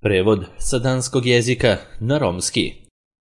Prevod sa danskog jezika na romski.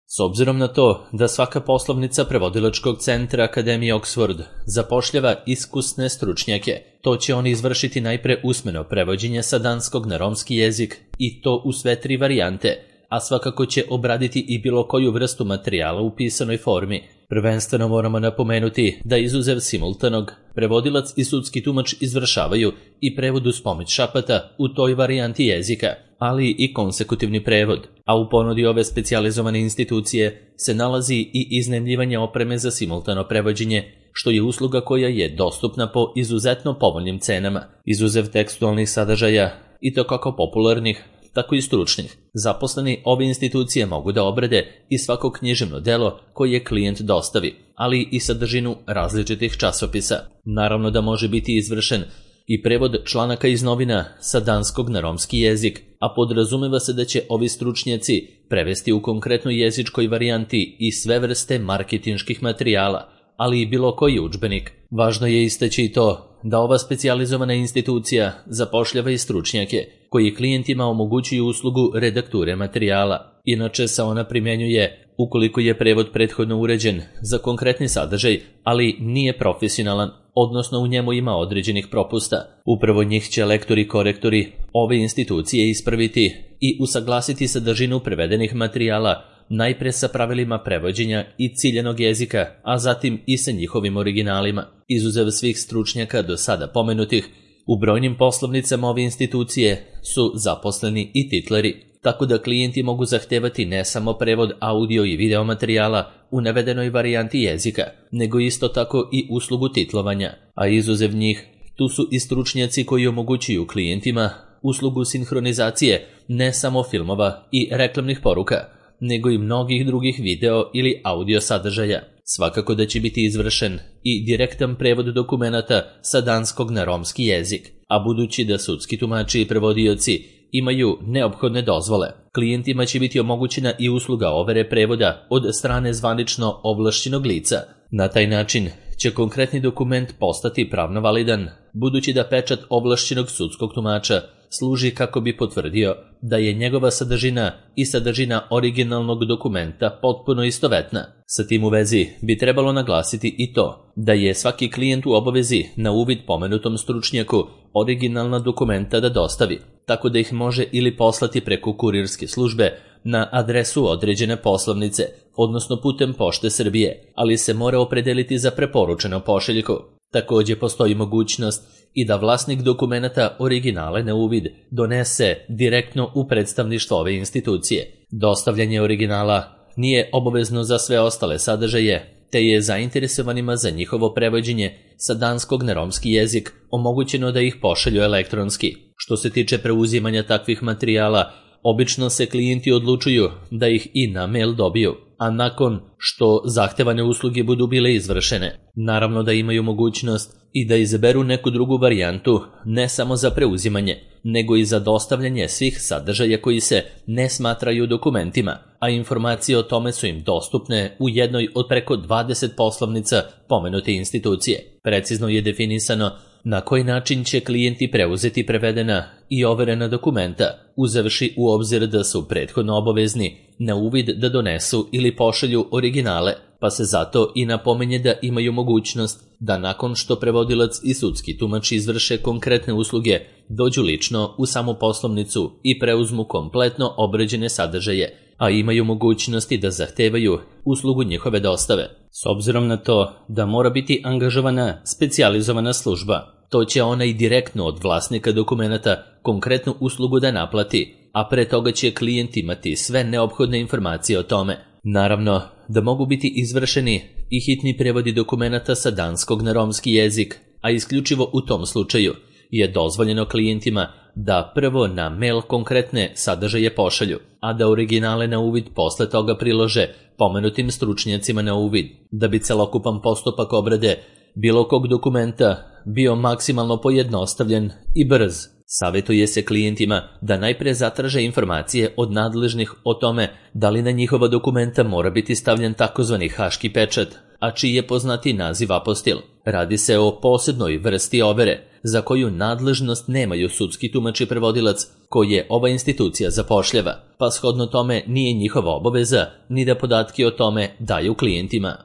S obzirom na to da svaka poslovnica prevodilačkog centra Akademije Oxford zapošljava iskusne stručnjake, to će oni izvršiti najpre usmeno prevođenje sa danskog na romski jezik i to u sve 3 varijante, a svakako će obraditi i bilo koju vrstu materijala u pisanoj formi. Prvenstveno moramo napomenuti da izuzev simultanog, prevodilac i sudski tumač izvršavaju i prevod uz pomoć šapata u toj varijanti jezika, ali i konsekutivni prevod, a u ponudi ove specijalizovane institucije se nalazi i iznajmljivanje opreme za simultano prevođenje, što je usluga koja je dostupna po izuzetno povoljnim cenama, izuzev tekstualnih sadržaja i to kako popularnih, tako i stručnih. Zaposleni ove institucije mogu da obrade i svako književno delo koje klijent dostavi, ali i sadržinu različitih časopisa. Naravno da može biti izvršen i prevod članaka iz novina sa danskog na romski jezik, a podrazumeva se da će ovi stručnjaci prevesti u konkretnoj jezičkoj varijanti i sve vrste marketinških materijala, ali i bilo koji udžbenik. Važno je istaći i to da ova specijalizovana institucija zapošljava i stručnjake koji klijentima omogućuju uslugu redakture materijala. Inače se ona primjenjuje ukoliko je prevod prethodno uređen za konkretni sadržaj, ali nije profesionalan, odnosno u njemu ima određenih propusta. Upravo njih će lektori i korektori ove institucije ispraviti i usaglasiti sadržinu prevedenih materijala najpre sa pravilima prevođenja i ciljanog jezika, a zatim i sa njihovim originalima. Izuzev svih stručnjaka do sada pomenutih, u brojnim poslovnicama ove institucije su zaposleni i titleri, tako da klijenti mogu zahtevati ne samo prevod audio i video materijala u navedenoj varijanti jezika, nego isto tako i uslugu titlovanja, a izuzev njih tu su i stručnjaci koji omogućuju klijentima uslugu sinhronizacije ne samo filmova i reklamnih poruka, nego i mnogih drugih video ili audio sadržaja. Svakako da će biti izvršen i direktan prevod dokumenata sa danskog na romski jezik, a budući da sudski tumači i prevodioci imaju neophodne dozvole, klijentima će biti omogućena i usluga overe prevoda od strane zvanično ovlašćenog lica. Na taj način će konkretni dokument postati pravno validan, budući da pečat ovlašćenog sudskog tumača služi kako bi potvrdio da je njegova sadržina i sadržina originalnog dokumenta potpuno istovetna. Sa tim u vezi bi trebalo naglasiti i to da je svaki klijent u obavezi na uvid pomenutom stručnjaku originalna dokumenta da dostavi, tako da ih može ili poslati preko kurirske službe na adresu određene poslovnice, odnosno putem Pošte Srbije, ali se mora opredeliti za preporučenu pošiljku. Također postoji mogućnost i da vlasnik dokumenata originale na uvid donese direktno u predstavništvo ove institucije. Dostavljanje originala nije obavezno za sve ostale sadržaje, te je zainteresovanima za njihovo prevođenje sa danskog na romski jezik omogućeno da ih pošalju elektronski. Što se tiče preuzimanja takvih materijala, obično se klijenti odlučuju da ih i na mail dobiju, a nakon što zahtevane usluge budu bile izvršene, naravno da imaju mogućnost i da izaberu neku drugu varijantu, ne samo za preuzimanje, nego i za dostavljanje svih sadržaja koji se ne smatraju dokumentima, a informacije o tome su im dostupne u jednoj od preko 20 poslovnica pomenute institucije. Precizno je definisano na koji način će klijenti preuzeti prevedena i overena dokumenta, uzevši u obzir da su prethodno obavezni na uvid da donesu ili pošalju originale, pa se zato i napominje da imaju mogućnost da nakon što prevodilac i sudski tumač izvrše konkretne usluge, dođu lično u samu poslovnicu i preuzmu kompletno obrađene sadržaje, a imaju mogućnosti da zahtevaju uslugu njihove dostave. S obzirom na to da mora biti angažovana specijalizovana služba, to će ona i direktno od vlasnika dokumenata konkretnu uslugu da naplati, a pre toga će klijent imati sve neophodne informacije o tome. Naravno da mogu biti izvršeni i hitni prevodi dokumenata sa danskog na romski jezik, a isključivo u tom slučaju je dozvoljeno klijentima da prvo na mail konkretne sadržaje pošalju, a da originale na uvid posle toga prilože pomenutim stručnjacima na uvid, da bi celokupan postupak obrade bilo kog dokumenta bio maksimalno pojednostavljen i brz. Savjetuje se klijentima da najpre zatraže informacije od nadležnih o tome da li na njihova dokumenta mora biti stavljen takozvani haški pečat, a čiji je poznati naziv apostil. Radi se o posebnoj vrsti overe, za koju nadležnost nemaju sudski tumač i prevodilac koje ova institucija zapošljava, pa shodno tome nije njihova obaveza ni da podatke o tome daju klijentima.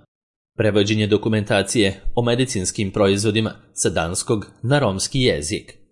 Prevođenje dokumentacije o medicinskim proizvodima sa danskog na romski jezik.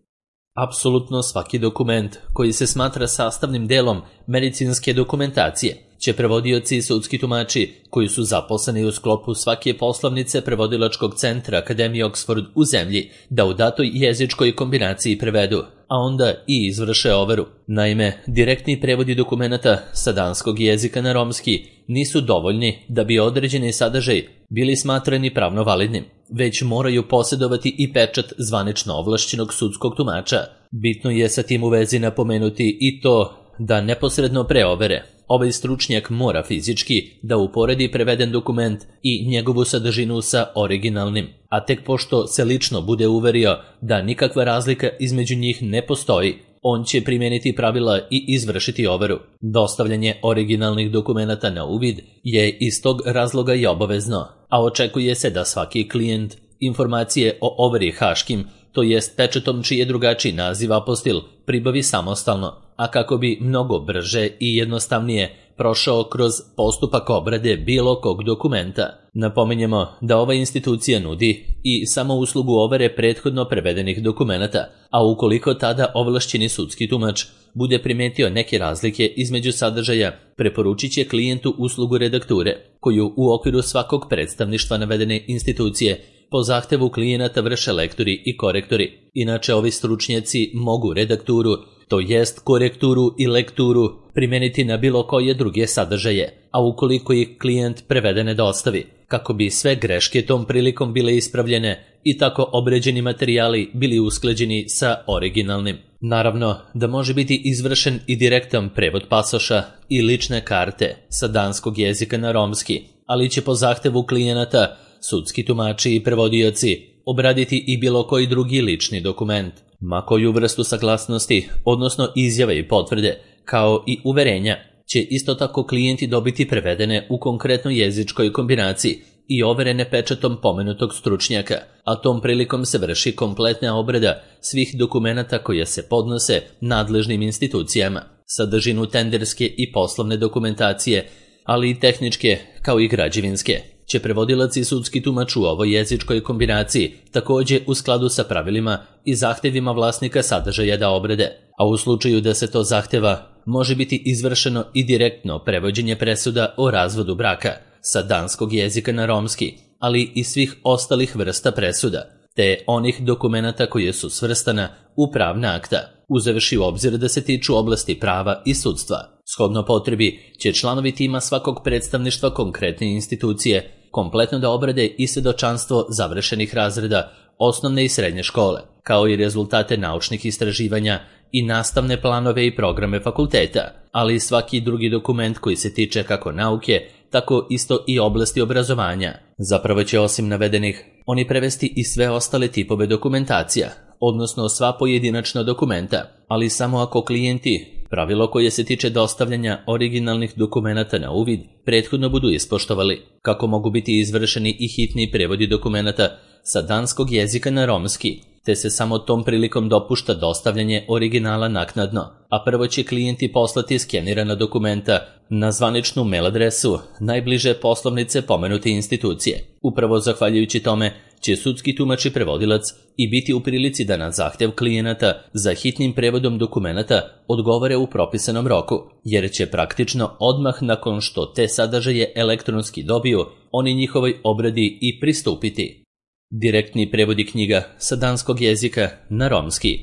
Apsolutno svaki dokument koji se smatra sastavnim delom medicinske dokumentacije će prevodioci i sudski tumači koji su zaposleni u sklopu svake poslovnice prevodilačkog centra Akademije Oxford u zemlji da u datoj jezičkoj kombinaciji prevedu, a onda i izvrše overu. Naime, direktni prevodi dokumenata sa danskog jezika na romski nisu dovoljni da bi određeni sadržaj bili smatrani pravno validnim, već moraju posjedovati i pečat zvanično ovlašćenog sudskog tumača. Bitno je sa tim u vezi napomenuti i to da neposredno pre overe ovaj stručnjak mora fizički da uporedi preveden dokument i njegovu sadržinu sa originalnim, a tek pošto se lično bude uverio da nikakva razlika između njih ne postoji, on će primijeniti pravila i izvršiti overu. Dostavljanje originalnih dokumenata na uvid je iz tog razloga i obavezno, a očekuje se da svaki klijent informacije o overi haškim, to jest pečetom čiji je drugačiji naziv apostil, pribavi samostalno, a kako bi mnogo brže i jednostavnije prošao kroz postupak obrade bilo kog dokumenta. Napominjemo da ova institucija nudi i samo uslugu overe prethodno prevedenih dokumenata, a ukoliko tada ovlašćeni sudski tumač bude primetio neke razlike između sadržaja, preporučit će klijentu uslugu redakture, koju u okviru svakog predstavništva navedene institucije po zahtevu klijenata vrše lektori i korektori. Inače, ovi stručnjaci mogu redakturu, to jest korekturu i lekturu, primijeniti na bilo koje druge sadržaje, a ukoliko ih klijent prevedene dostavi, kako bi sve greške tom prilikom bile ispravljene i tako obređeni materijali bili usklađeni sa originalnim. Naravno da može biti izvršen i direktan prevod pasoša i lične karte sa danskog jezika na romski, ali će po zahtevu klijenata sudski tumači i prevodioci obraditi i bilo koji drugi lični dokument, ma koju vrstu saglasnosti, odnosno izjave i potvrde, kao i uverenja, će isto tako klijenti dobiti prevedene u konkretnoj jezičkoj kombinaciji i overene pečatom pomenutog stručnjaka, a tom prilikom se vrši kompletna obrada svih dokumenata koje se podnose nadležnim institucijama, sadržinu tenderske i poslovne dokumentacije, ali i tehničke kao i građevinske, će prevodilac i sudski tumač u ovoj jezičkoj kombinaciji također u skladu sa pravilima i zahtjevima vlasnika sadržaja da obrade, a u slučaju da se to zahtjeva može biti izvršeno i direktno prevođenje presuda o razvodu braka sa danskog jezika na romski, ali i svih ostalih vrsta presuda, te onih dokumenata koje su svrstana u pravna akta, uzevši u obzir da se tiču oblasti prava i sudstva. Shodno potrebi će članovi tima svakog predstavništva konkretne institucije kompletno da obrade i svjedočanstvo završenih razreda osnovne i srednje škole, kao i rezultate naučnih istraživanja i nastavne planove i programe fakulteta, ali i svaki drugi dokument koji se tiče kako nauke, tako isto i oblasti obrazovanja. Zapravo će osim navedenih oni prevesti i sve ostale tipove dokumentacija, odnosno sva pojedinačna dokumenta, ali samo ako klijenti pravilo koje se tiče dostavljanja originalnih dokumenata na uvid prethodno budu ispoštovali, kako mogu biti izvršeni i hitni prevodi dokumenata sa danskog jezika na romski, te se samo tom prilikom dopušta dostavljanje originala naknadno, a prvo će klijenti poslati skenirana dokumenta na zvaničnu mail adresu najbliže poslovnice pomenute institucije. Upravo zahvaljujući tome će sudski tumač i prevodilac i biti u prilici da na zahtjev klijenata za hitnim prevodom dokumenata odgovore u propisanom roku, jer će praktično odmah nakon što te sadržaje elektronski dobiju, oni njihovoj obradi i pristupiti. Direktni prevodi knjiga sa danskog jezika na romski.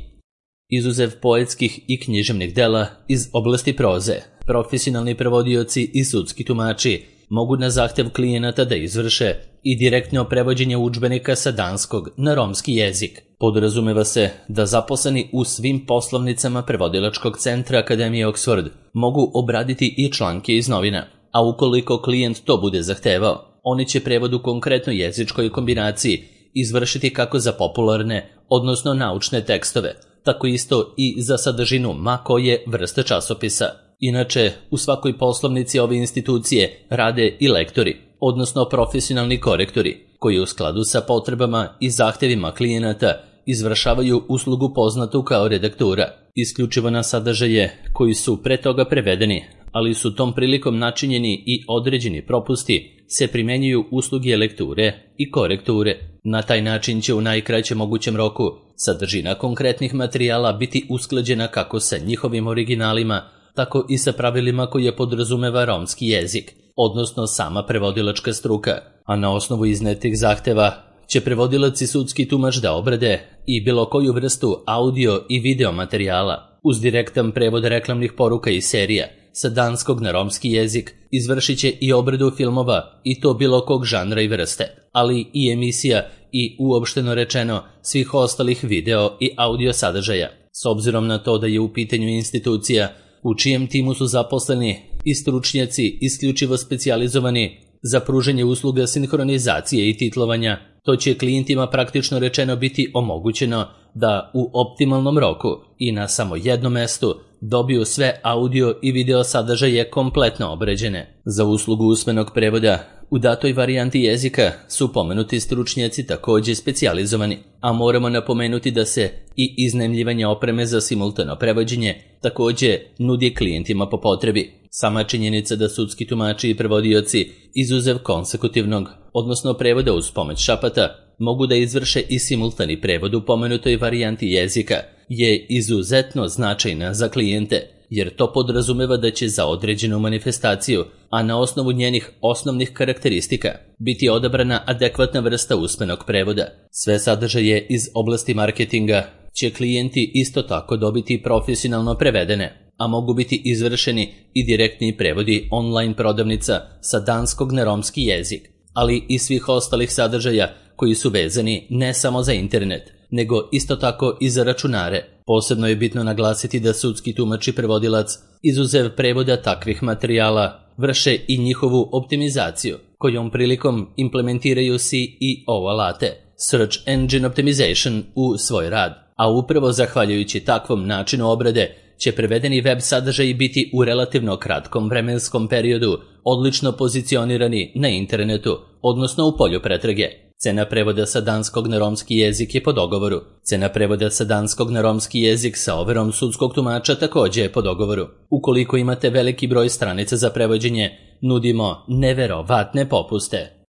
Izuzev poetskih i književnih dela iz oblasti proze, profesionalni prevodioci i sudski tumači mogu na zahtjev klijenata da izvrše i direktno prevođenje udžbenika sa danskog na romski jezik. Podrazumeva se da zaposleni u svim poslovnicama prevodilačkog centra Akademije Oxford mogu obraditi i članke iz novina, a ukoliko klijent to bude zahtevao, oni će prevod u konkretnoj jezičkoj kombinaciji izvršiti kako za popularne, odnosno naučne tekstove, tako isto i za sadržinu ma koje vrste časopisa. Inače, u svakoj poslovnici ove institucije rade i lektori, odnosno profesionalni korektori, koji u skladu sa potrebama i zahtevima klijenata izvršavaju uslugu poznatu kao redaktura, isključivo na sadržaje koji su pre toga prevedeni, ali su tom prilikom načinjeni i određeni propusti, se primenjuju usluge lekture i korekture. Na taj način će u najkraćem mogućem roku sadržina konkretnih materijala biti usklađena kako sa njihovim originalima, tako i sa pravilima koje podrazumeva romski jezik, odnosno sama prevodilačka struka, a na osnovu iznetih zahteva će prevodilac i sudski tumač da obrade i bilo koju vrstu audio i video materijala uz direktan prevod reklamnih poruka i serija sa danskog na romski jezik, izvršit će i obradu filmova i to bilo kog žanra i vrste, ali i emisija i uopšteno rečeno svih ostalih video i audio sadržaja. S obzirom na to da je u pitanju institucija u čijem timu su zaposleni i stručnjaci isključivo specijalizovani za pružanje usluga sinhronizacije i titlovanja, to će klijentima praktično rečeno biti omogućeno da u optimalnom roku i na samo jednom mestu dobiju sve audio i video sadržaje kompletno obrađene. Za uslugu usmenog prevoda u datoj varijanti jezika su pomenuti stručnjaci također specijalizovani, a moramo napomenuti da se i iznajmljivanje opreme za simultano prevođenje također nudi klijentima po potrebi. Sama činjenica da sudski tumači i prevodioci izuzev konsekutivnog, odnosno prevoda uz pomoć šapata, mogu da izvrše i simultani prevod u pomenutoj varijanti jezika, je izuzetno značajna za klijente, jer to podrazumeva da će za određenu manifestaciju, a na osnovu njenih osnovnih karakteristika, biti odabrana adekvatna vrsta usmenog prevoda. Sve sadržaje iz oblasti marketinga će klijenti isto tako dobiti profesionalno prevedene, a mogu biti izvršeni i direktni prevodi online prodavnica sa danskog na romski jezik, ali i svih ostalih sadržaja koji su vezani ne samo za internet, nego isto tako i za računare. Posebno je bitno naglasiti da sudski tumač i prevodilac, izuzev prevoda takvih materijala, vrše i njihovu optimizaciju, kojom prilikom implementiraju SEO alate, Search Engine Optimization, u svoj rad. A upravo zahvaljujući takvom načinu obrade će prevedeni web sadržaji biti u relativno kratkom vremenskom periodu odlično pozicionirani na internetu, odnosno u polju pretrage. Cena prevoda sa danskog na romski jezik je po dogovoru. Cena prevoda sa danskog na romski jezik sa overom sudskog tumača također je po dogovoru. Ukoliko imate veliki broj stranica za prevođenje, nudimo neverovatne popuste.